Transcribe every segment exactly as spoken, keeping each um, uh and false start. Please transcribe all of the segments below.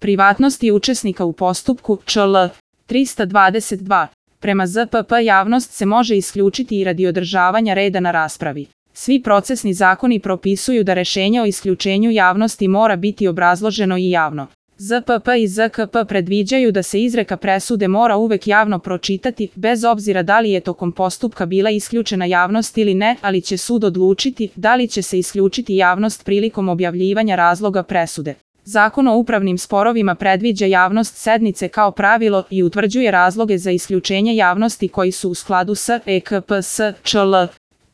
Privatnosti učesnika u postupku, čl. trista dvadeset dva. Prema Z P P javnost se može isključiti i radi održavanja reda na raspravi. Svi procesni zakoni propisuju da rešenje o isključenju javnosti mora biti obrazloženo i javno. Z P P i Z K P predviđaju da se izreka presude mora uvek javno pročitati, bez obzira da li je tokom postupka bila isključena javnost ili ne, ali će sud odlučiti da li će se isključiti javnost prilikom objavljivanja razloga presude. Zakon o upravnim sporovima predviđa javnost sednice kao pravilo i utvrđuje razloge za isključenje javnosti koji su u skladu s E K P S čl.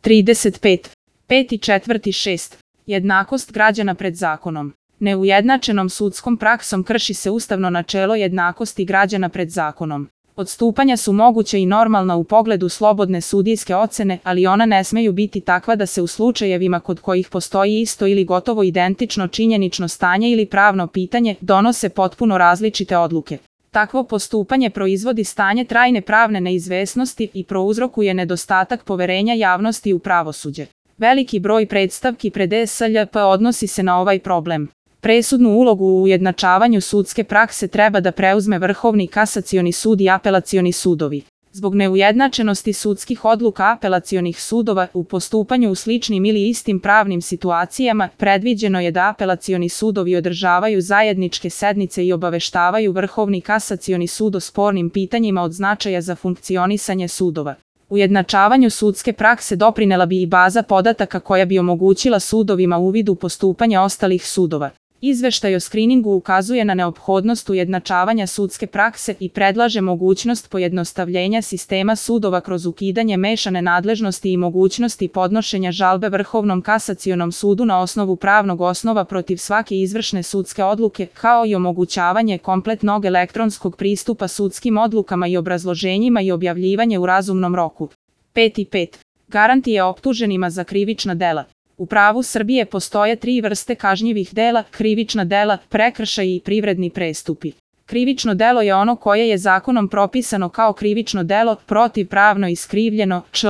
trideset pet. peti, četvrti, šesti. Jednakost građana pred zakonom. Neujednačenom sudskom praksom krši se ustavno načelo jednakosti građana pred zakonom. Odstupanja su moguća i normalna u pogledu slobodne sudijske ocene, ali ona ne smeju biti takva da se u slučajevima kod kojih postoji isto ili gotovo identično činjenično stanje ili pravno pitanje, donose potpuno različite odluke. Takvo postupanje proizvodi stanje trajne pravne neizvesnosti i prouzrokuje nedostatak poverenja javnosti u pravosuđe. Veliki broj predstavki pred E S L P odnosi se na ovaj problem. Presudnu ulogu u ujednačavanju sudske prakse treba da preuzme Vrhovni kasacioni sud i apelacioni sudovi. Zbog neujednačenosti sudskih odluka apelacionih sudova u postupanju u sličnim ili istim pravnim situacijama, predviđeno je da apelacioni sudovi održavaju zajedničke sednice i obaveštavaju Vrhovni kasacioni sud o spornim pitanjima od značaja za funkcionisanje sudova. Ujednačavanju sudske prakse doprinela bi i baza podataka koja bi omogućila sudovima uvid u postupanje ostalih sudova. Izveštaj o skriningu ukazuje na neophodnost ujednačavanja sudske prakse i predlaže mogućnost pojednostavljenja sistema sudova kroz ukidanje mešane nadležnosti i mogućnosti podnošenja žalbe Vrhovnom kasacionom sudu na osnovu pravnog osnova protiv svake izvršne sudske odluke, kao i omogućavanje kompletnog elektronskog pristupa sudskim odlukama i obrazloženjima i objavljivanje u razumnom roku. peti pet. Garantije optuženima za krivična dela. U pravu Srbije postoje tri vrste kažnjivih dela: krivična dela, prekršaji i privredni prestupi. Krivično delo je ono koje je zakonom propisano kao krivično delo, protivpravno iskrivljeno, čl.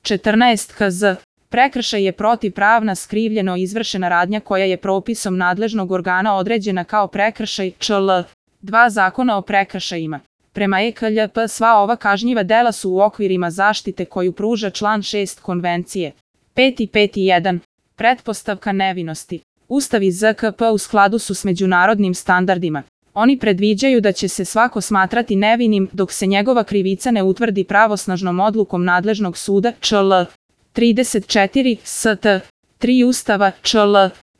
četrnaest K Z. Prekršaj je protivpravna skrivljeno izvršena radnja koja je propisom nadležnog organa određena kao prekršaj, čl. dva Zakona o prekršajima. Prema E K L P sva ova kažnjiva dela su u okvirima zaštite koju pruža član šest Konvencije. peti pet jedan. Pretpostavka nevinosti. Ustav i Z K P u skladu su s međunarodnim standardima. Oni predviđaju da će se svako smatrati nevinim dok se njegova krivica ne utvrdi pravosnažnom odlukom nadležnog suda, čl. trideset četiri S T tri Ustava, čl.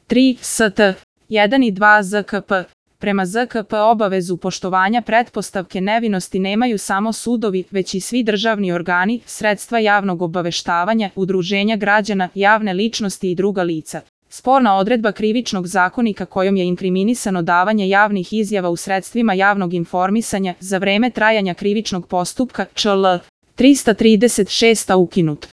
tri S T jedan i dva Z K P. Prema Z K P obavezu poštovanja pretpostavke nevinosti nemaju samo sudovi, već i svi državni organi, sredstva javnog obaveštavanja, udruženja građana, javne ličnosti i druga lica. Sporna odredba Krivičnog zakonika kojom je inkriminisano davanje javnih izjava u sredstvima javnog informisanja za vreme trajanja krivičnog postupka, čl. trista trideset šest ukinut.